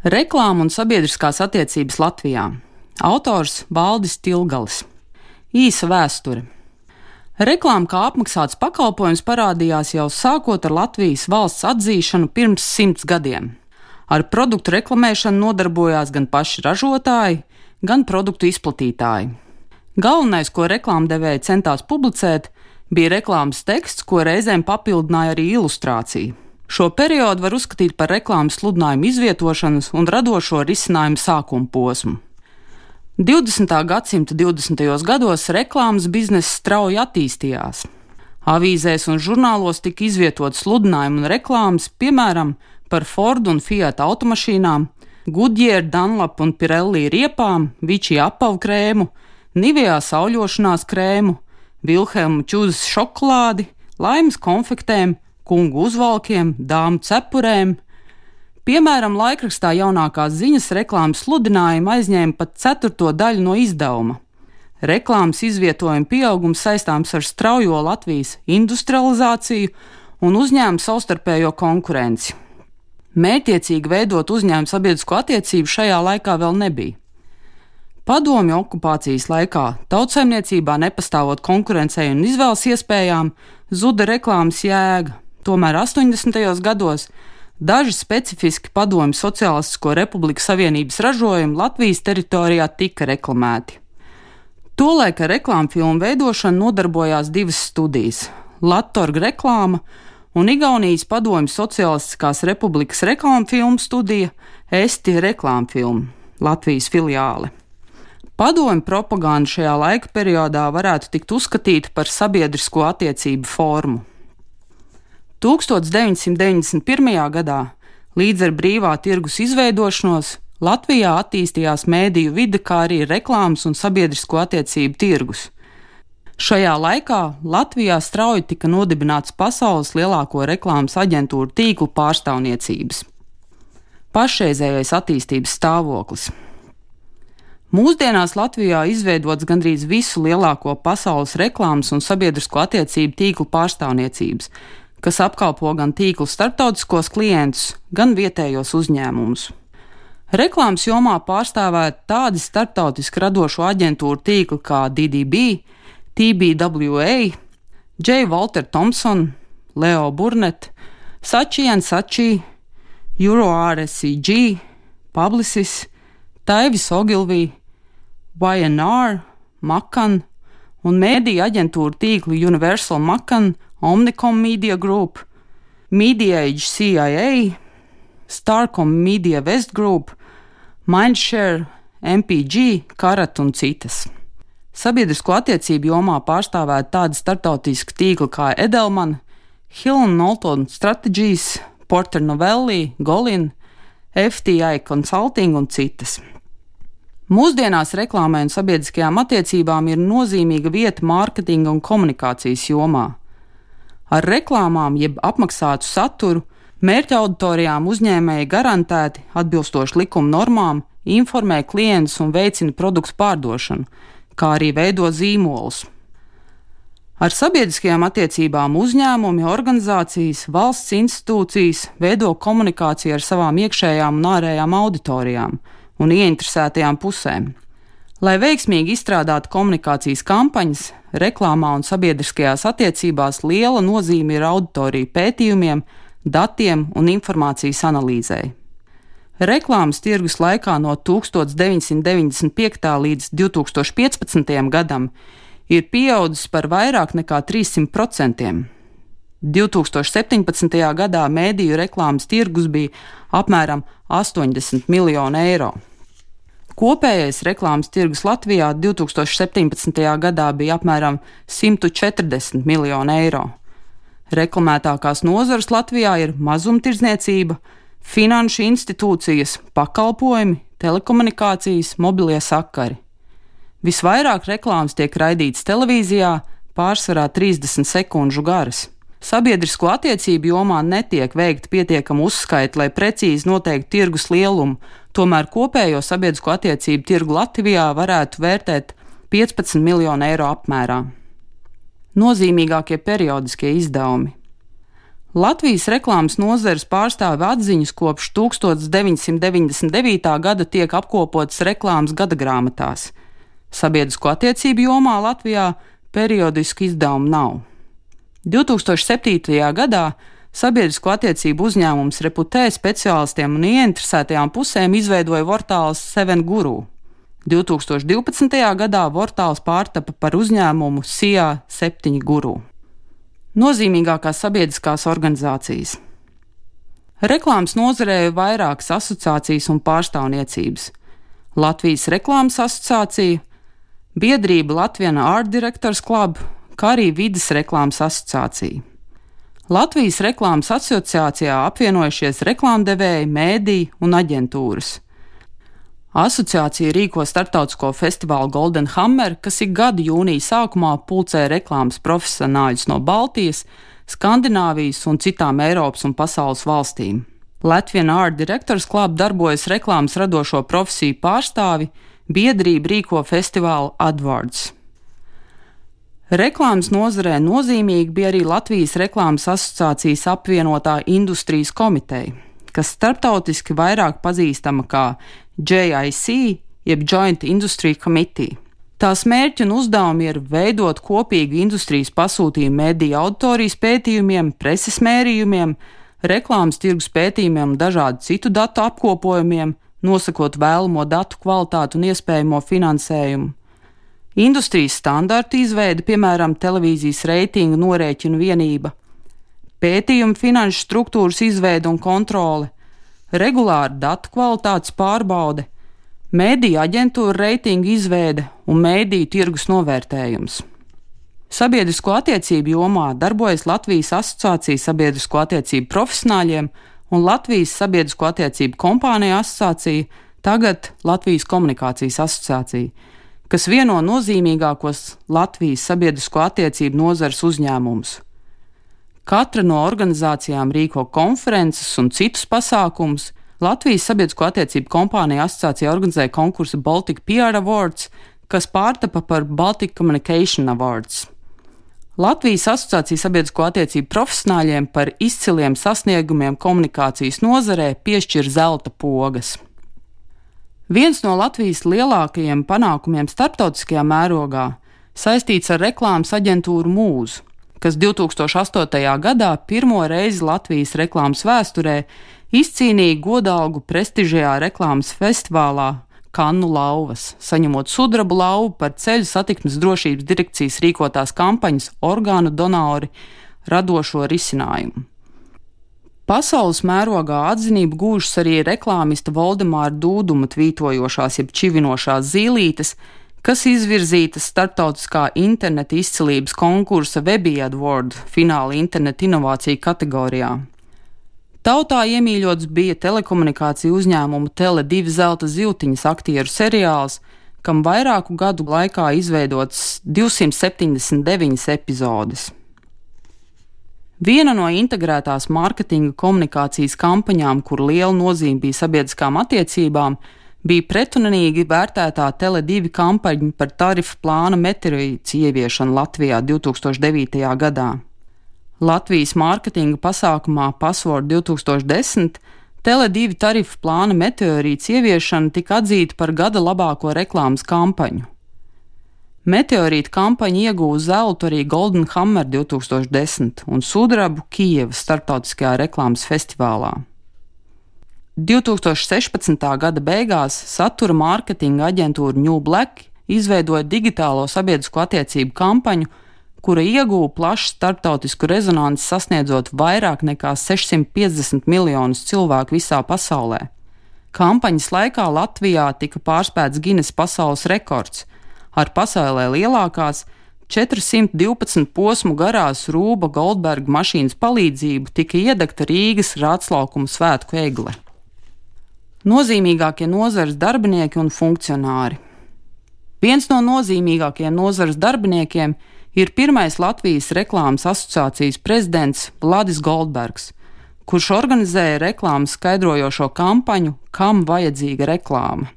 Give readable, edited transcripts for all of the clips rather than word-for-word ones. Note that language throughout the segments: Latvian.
Reklāma un sabiedriskās attiecības Latvijā. Autors Valdis Tilgalis. Īsa vēsture. Reklāma kā apmaksāts pakalpojums parādījās jau sākot ar Latvijas valsts atzīšanu pirms 100 gadiem. Ar produktu reklamēšanu nodarbojās gan paši ražotāji, gan produktu izplatītāji. Galvenais, ko reklāmdevēji centās publicēt, bija reklāmas teksts, ko reizēm papildināja arī ilustrācija. Šo periodu var uzskatīt par reklāmas sludinājumu izvietošanas un radošo risinājumu sākuma posmu. 20. gadsimta 20. gados reklāmas bizness strauji attīstījās. Avīzēs un žurnālos tika izvietoti sludinājumi un reklāmas, piemēram, par Ford un Fiat automašīnām, Goodyear, Dunlop un Pirelli riepām, Vichy apavu krēmu, Nivea sauļošanās krēmu, Vilhelma Čuzas šokolādi, Laimas konfektēm, kungu uzvalkiem, dāmu cepurēm. Piemēram, laikrakstā Jaunākās ziņas reklāmas sludinājumi aizņēma pat 1/4 daļu no izdevuma. Reklāmas izvietojuma pieaugums saistāms ar straujo Latvijas industrializāciju un uzņēmumu savstarpējo konkurenci. Mērķiecīgi veidot uzņēmumu sabiedrisko attiecību šajā laikā vēl nebija. Padomju okupācijas laikā tautsaimniecībā nepastāvot konkurencei un izvēles iespējām, zuda reklāmas jēga. Tomēr 80. gados daži specifiski Padomju Sociālistisko Republiku Savienības ražojumi Latvijas teritorijā tika reklamēti. Tolaik ar reklāmfilmu veidošanu nodarbojās divas studijas - Lattorg reklāma un Igaunijas Padomju Sociālistiskās Republikas reklāmfilmu studija Esti reklāmfilmu, Latvijas filiāle. Padomju propaganda šajā laika periodā varētu tikt uzskatīta par sabiedrisko attiecību formu. 1991. gadā, līdz ar brīvā tirgus izveidošanos, Latvijā attīstījās mēdīju vide, kā arī reklāmas un sabiedrisko attiecību tirgus. Šajā laikā Latvijā strauji tika nodibināts pasaules lielāko reklāmas aģentūru tīklu pārstāvniecības. Pašreizējais attīstības stāvoklis. Mūsdienās Latvijā izveidots gandrīz visu lielāko pasaules reklāmas un sabiedrisko attiecību tīklu pārstāvniecības, kas apkalpo gan tīklu starptautiskos klientus, gan vietējos uzņēmumus. Reklāmas jomā pārstāvēti tādi starptautiski radošo aģentūru tīkli kā DDB, TBWA, J. Walter Thompson, Leo Burnett, Saatchi & Saatchi, EuroRSCG, Publicis, Taivis Ogilvy, Y&R, Macan un mēdīju aģentūru tīkli Universal Macan, Omnicom Media Group, Mediaage CIA, Starcom Media West Group, Mindshare, MPG, Karat un citas. Sabiedrisko attiecību jomā pārstāvēti tādi starptautiski tīkli kā Edelman, Hill & Knowlton Strategies, Porter Novelli, Golin, FTI Consulting un citas. Mūsdienās reklāmai un sabiedriskajām attiecībām ir nozīmīga vieta mārketinga un komunikācijas jomā. Ar reklāmām jeb apmaksātu saturu mērķa auditorijām uzņēmēji garantēti, atbilstoši likuma normām, informē klientus un veicina produktu pārdošanu, kā arī veido zīmolus. Ar sabiedriskajām attiecībām uzņēmumi, organizācijas, valsts institūcijas veido komunikāciju ar savām iekšējām un ārējām auditorijām un ieinteresētajām pusēm. Lai veiksmīgi izstrādātu komunikācijas kampaņas, reklāmā un sabiedriskajās attiecībās liela nozīme ir auditoriju pētījumiem, datiem un informācijas analīzei. Reklāmas tirgus laikā no 1995. līdz 2015. gadam ir pieaudzis par vairāk nekā 300%. 2017. gadā mēdīju reklāmas tirgus bija apmēram 80 miljoni eiro. Kopējais reklāmas tirgus Latvijā 2017. gadā bija apmēram 140 miljoni eiro. Reklamētākās nozares Latvijā ir mazumtirdzniecība, finanšu institūcijas, pakalpojumi, telekomunikācijas, mobilie sakari. Visvairāk reklāmas tiek raidītas televīzijā, pārsvarā 30 sekundžu garas. Sabiedrisko attiecību jomā netiek veikta pietiekama uzskaita, lai precīzi noteiktu tirgus lielumu, tomēr kopējo sabiedrisko attiecību tirgu Latvijā varētu vērtēt 15 miljonu eiro apmērā. Nozīmīgākie periodiskie izdevumi. Latvijas reklāmas nozares pārstāvju atziņas kopš 1999. gada tiek apkopotas reklāmas gadagrāmatās. Sabiedrisko attiecību jomā Latvijā periodisku izdevumu nav. 2007. gadā sabiedrisko attiecību uzņēmums Reputē speciālistiem un ieinteresētajām pusēm izveidoja portāls 7Guru. 2012. gadā portāls pārtapa par uzņēmumu SIA 7Guru. Nozīmīgākās sabiedriskās organizācijas. Reklāmas nozarē ir vairākas asociācijas un pārstāvniecības. Latvijas reklāmas asociācija, biedrība Latvian Art Directors Club, kā arī vides reklāmas asociācija. Latvijas reklāmas asociācijā apvienojušies reklāmdevēji, mēdīji un aģentūras. Asociācija rīko starptautisko festivālu Golden Hammer, kas ik gadu jūnija sākumā pulcē reklāmas profesionāļus no Baltijas, Skandināvijas un citām Eiropas un pasaules valstīm. Latvian Art Directors Club darbojas reklāmas radošo profesiju pārstāvi, biedrība rīko festivālu Adwards. Reklāmas nozarē nozīmīgi bija arī Latvijas reklāmas asociācijas apvienotā industrijas komiteja, kas starptautiski vairāk pazīstama kā JIC, jeb Joint Industry Committee. Tās mērķi un uzdevumi ir veidot kopīgu industrijas pasūtījumu mediju auditorijas pētījumiem, preses mērījumiem, reklāmas tirgus pētījumiem un dažādu citu datu apkopojumiem, nosakot vēlamo datu kvalitāti un iespējamo finansējumu. Industrijas standartu izveide, piemēram, televīzijas reitingu norēķinu vienība, pētījumu finanšu struktūras izveide un kontrole, regulāra datu kvalitātes pārbaude, mēdīju aģentūra reitingu izveide un mēdīju tirgus novērtējums. Sabiedrisko attiecību jomā darbojas Latvijas asociācija sabiedrisko attiecību profesionāļiem un Latvijas sabiedrisko attiecību kompāniju asociācija, tagad Latvijas komunikācijas asociācija, kas vieno nozīmīgākos Latvijas sabiedrisko attiecību nozares uzņēmumus. Katra no organizācijām rīko konferences un citus pasākumus. Latvijas sabiedrisko attiecību kompāniju asociācija organizē konkursu Baltic PR Awards, kas pārtapa par Baltic Communication Awards. Latvijas asociācija sabiedrisko attiecību profesionāļiem par izciliem sasniegumiem komunikācijas nozarē piešķir zelta pogas. Viens no Latvijas lielākajiem panākumiem starptautiskajā mērogā saistīts ar reklāmas aģentūru Mūzu, kas 2008. gadā pirmo reizi Latvijas reklāmas vēsturē izcīnīja godalgu prestižajā reklāmas festivālā Kannu lauvas, saņemot sudraba lauvu par ceļu satiksmes drošības direkcijas rīkotās kampaņas orgānu donori radošo risinājumu. Pasaules mērogā atzinību gūžas arī reklāmista Voldemāra Dūduma tvītojošās jeb čivinošās zīlītes, kas izvirzītas starptautiskā interneta izcilības konkursa Webby Award fināla interneta inovāciju kategorijā. Tautā iemīļots bija telekomunikāciju uzņēmuma Tele2 zelta zivtiņas aktieru seriāls, kam vairāku gadu laikā izveidots 279 epizodes. Viena no integrētās mārketinga komunikācijas kampaņām, kur liela nozīme bija sabiedriskām attiecībām, bija pretrunīgi vērtētā Tele2 kampaņa par tarifu plāna meteorītes ieviešanu Latvijā 2009. gadā. Latvijas mārketinga pasākumā Password 2010 Tele2 tarifu plāna meteorītes ieviešana tika atzīta par gada labāko reklāmas kampaņu. Meteorīta kampaņa ieguva zeltu arī Golden Hammer 2010 un sudrabu Kijevas starptautiskajā reklāmas festivālā. 2016. gada beigās satura mārketinga aģentūra New Black izveidoja digitālo sabiedrisko attiecību kampaņu, kura ieguva plašu starptautisku rezonanci, sasniedzot vairāk nekā 650 miljonus cilvēku visā pasaulē. Kampaņas laikā Latvijā tika pārspēts Guinness pasaules rekords. Ar pasaulē lielākās 412 posmu garās Rūba Goldberga mašīnas palīdzību tika iedegta Rīgas Rātslaukuma svētku egle. Nozīmīgākie nozares darbinieki un funkcionāri. Viens no nozīmīgākajiem nozares darbiniekiem ir pirmais Latvijas reklāmas asociācijas prezidents Vladis Goldbergs, kurš organizēja reklāmas skaidrojošo kampaņu Kam vajadzīga reklāma.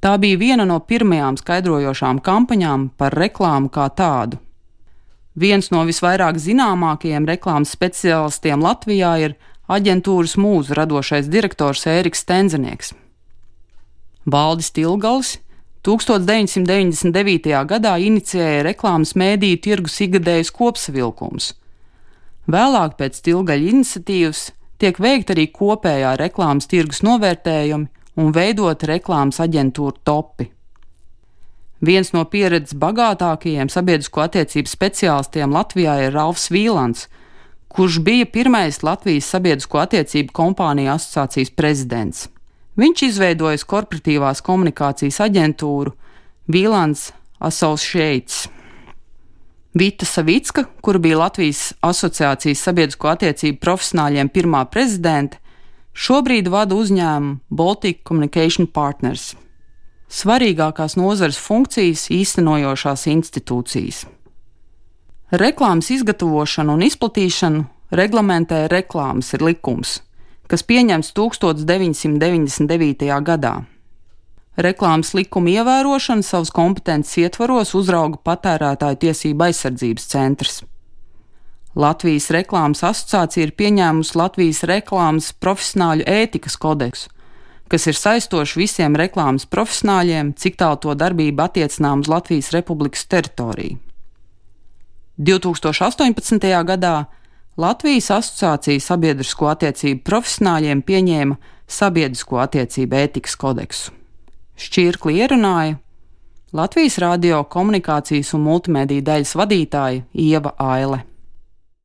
Tā bija viena no pirmajām skaidrojošām kampaņām par reklāmu kā tādu. Viens no visvairāk zināmākajiem reklāmas speciālistiem Latvijā ir aģentūras Mūza radošais direktors Ēriks Stenzenieks. Valdis Tilgalis 1999. gadā inicijēja reklāmas mēdīju tirgus ikgadējus kopsavilkumus. Vēlāk pēc Tilgaļa iniciatīvas tiek veikta arī kopējā reklāmas tirgus novērtējumi un veidota reklāmas aģentūra topi. Viens no pieredzes bagātākajiem sabiedrisko attiecību speciālistiem Latvijā ir Ralfs Vīlants, kurš bija pirmais Latvijas sabiedrisko attiecību kompāniju asociācijas prezidents. Viņš izveidojis korporatīvās komunikācijas aģentūru Vīlants Associates. Vita Savicka, kura bija Latvijas asociācijas sabiedrisko attiecību profesionāļiem pirmā prezidente, šobrīd vada uzņēmumu Baltic Communication Partners. Svarīgākās nozares funkcijas īstenojošās institūcijas. Reklāmas izgatavošanu un izplatīšanu reglamentē reklāmas likums, kas pieņemts 1999. gadā. Reklāmas likuma ievērošanu savas kompetences ietvaros uzrauga Patērētāju tiesību aizsardzības centrs. Latvijas reklāmas asociācija ir pieņēmusi Latvijas reklāmas profesionāļu ētikas kodeksu, kas ir saistošs visiem reklāmas profesionāļiem, cik tālu to darbība attiecinām uz Latvijas Republikas teritoriju. 2018. gadā Latvijas asociācija sabiedrisko attiecību profesionāļiem pieņēma sabiedrisko attiecību ētikas kodeksu. Šķirkli ierunāja Latvijas radio komunikācijas un multimediju daļas vadītāja Ieva Aile.